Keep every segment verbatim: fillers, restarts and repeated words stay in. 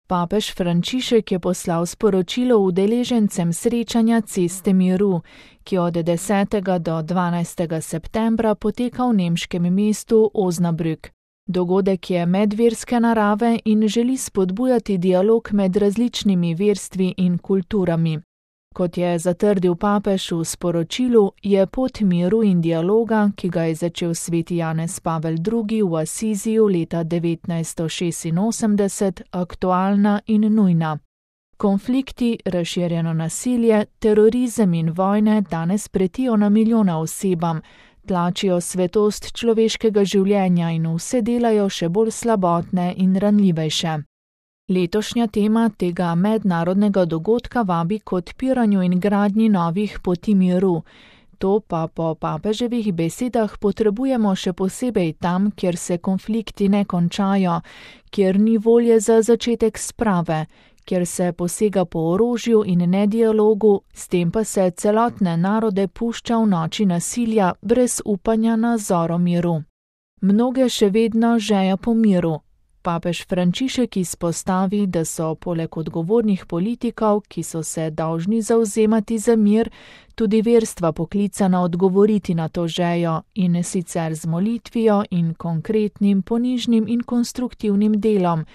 Papež Frančišek je poslal sporočilo udeležencem srečanja Ceste miru, ki od desetega do dvanajstega septembra poteka v nemškem mestu Osnabrück. Dogodek je medverske narave in želi spodbujati dialog med različnimi verstvi in kulturami. Kot je zatrdil papež v sporočilu, je pot miru in dialoga, ki ga je začel sveti Janez Pavel drugi v Asiziju leta devetnajststo šestinosemdeset, aktualna in nujna. Konflikti, razširjeno nasilje, terorizem in vojne danes pretijo na milijona osebam, tlačijo svetost človeškega življenja in vse delajo še bolj slabotne in ranljivejše. Letošnja tema tega mednarodnega dogodka vabi k odpiranju in gradnji novih poti miru. To pa po papeževih besedah potrebujemo še posebej tam, kjer se konflikti ne končajo, kjer ni volje za začetek sprave, kjer se posega po orožju in nedialogu, s tem pa se celotne narode pušča v noči nasilja brez upanja na zoro miru. Mnoge še vedno žejo po miru. Papež Frančišek izpostavi, da so poleg odgovornih politikov, ki so se dolžni zavzemati za mir, tudi verstva poklicana odgovoriti na to žejo in sicer z molitvijo in konkretnim, ponižnim in konstruktivnim delom.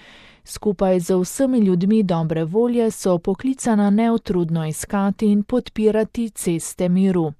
Skupaj z vsemi ljudmi dobre volje so poklicana neutrudno iskati in podpirati ceste miru.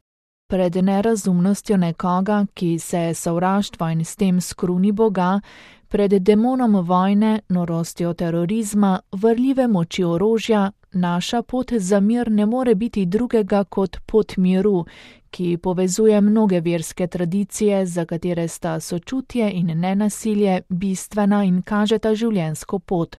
Pred nerazumnostjo nekoga, ki se sovraštva in s tem skruni Boga, pred demonom vojne, norostjo terorizma, vrljive moči orožja, naša pot za mir ne more biti drugega kot pot miru, ki povezuje mnoge verske tradicije, za katere sta sočutje in nenasilje bistvena in kažeta življenjsko pot.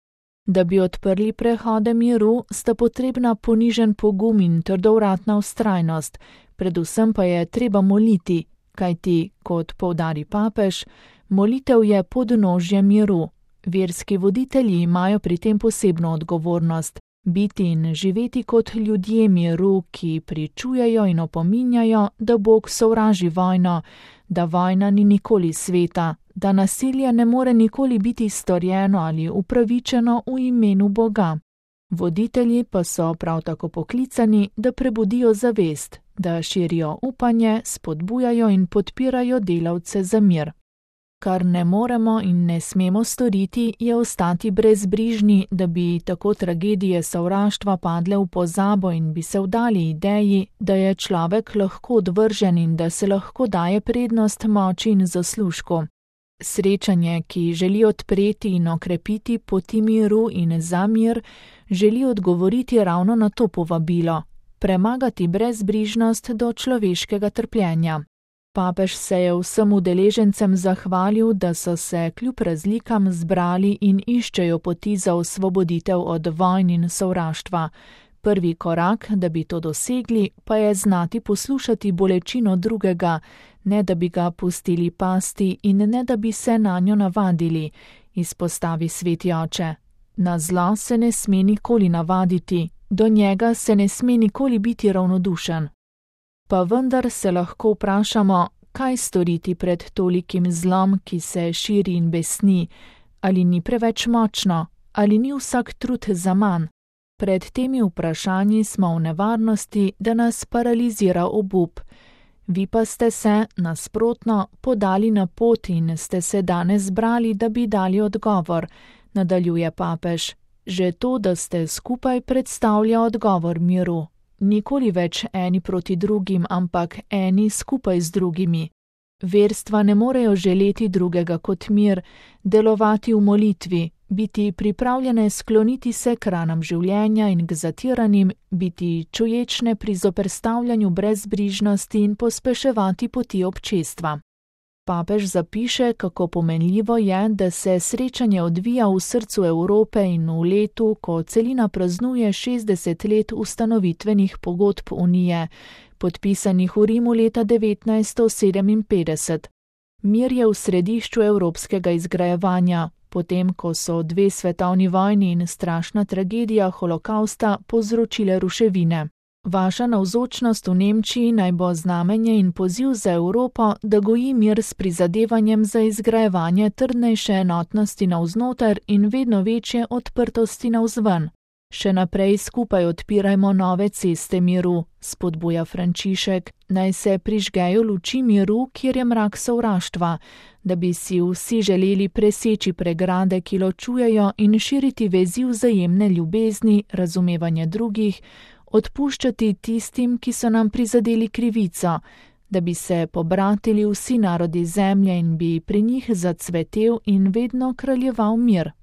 Da bi odprli prehode miru, sta potrebna ponižen pogum in trdovratna vztrajnost, predvsem pa je treba moliti, kajti, kot poudari papež, molitev je podnožje miru. Verski voditelji imajo pri tem posebno odgovornost, biti in živeti kot ljudje miru, ki pričujejo in opominjajo, da Bog sovraži vojno, da vojna ni nikoli sveta, da nasilje ne more nikoli biti storjeno ali upravičeno v imenu Boga. Voditelji pa so prav tako poklicani, da prebudijo zavest, da širijo upanje, spodbujajo in podpirajo delavce za mir. Kar ne moremo in ne smemo storiti, je ostati brezbrižni, da bi tako tragedije sovraštva padle v pozabo in bi se vdali ideji, da je človek lahko odvržen in da se lahko daje prednost moči in zaslužku. Srečanje, ki želi odpreti in okrepiti poti miru in za mir, želi odgovoriti ravno na to povabilo, premagati brezbrižnost do človeškega trpljenja. Papež se je vsem udeležencem zahvalil, da so se kljub razlikam zbrali in iščejo poti za osvoboditev od vojn in sovraštva. Prvi korak, da bi to dosegli, pa je znati poslušati bolečino drugega, ne da bi ga pustili pasti in ne da bi se nanjo navadili, izpostavi sveti oče. Na zlo se ne sme nikoli navaditi, do njega se ne sme nikoli biti ravnodušen. Pa vendar se lahko vprašamo, kaj storiti pred tolikim zlom, ki se širi in besni, ali ni preveč močno, ali ni vsak trud zaman. Pred temi vprašanji smo v nevarnosti, da nas paralizira obup. Vi pa ste se, nasprotno, podali na pot in ste se danes zbrali, da bi dali odgovor, nadaljuje papež. Že to, da ste skupaj, predstavlja odgovor miru. Nikoli več eni proti drugim, ampak eni skupaj z drugimi. Verstva ne morejo želeti drugega kot mir, delovati v molitvi, biti pripravljene skloniti se k ranam življenja in k zatiranim, biti čuječne pri zoperstavljanju brezbrižnosti in pospeševati poti občestva. Papež zapiše, kako pomenljivo je, da se srečanje odvija v srcu Evrope in v letu, ko celina praznuje šestdeset let ustanovitvenih pogodb Unije, podpisanih v Rimu leta devetnajststo sedeminpetdeset. Mir je v središču evropskega izgrajevanja, potem ko so dve svetovni vojni in strašna tragedija holokausta povzročile ruševine. Vaša navzočnost v Nemčiji naj bo znamenje in poziv za Evropo, da goji mir s prizadevanjem za izgrajevanje trdnejše enotnosti navznoter in vedno večje odprtosti navzven. Še naprej skupaj odpirajmo nove ceste miru, spodbuja Frančišek, naj se prižgejo luči miru, kjer je mrak sovraštva, da bi si vsi želeli preseči pregrade, ki ločujejo, in širiti vezi vzajemne ljubezni, razumevanje drugih, odpuščati tistim, ki so nam prizadeli krivico, da bi se pobratili vsi narodi zemlje in bi pri njih zacvetel in vedno kraljeval mir.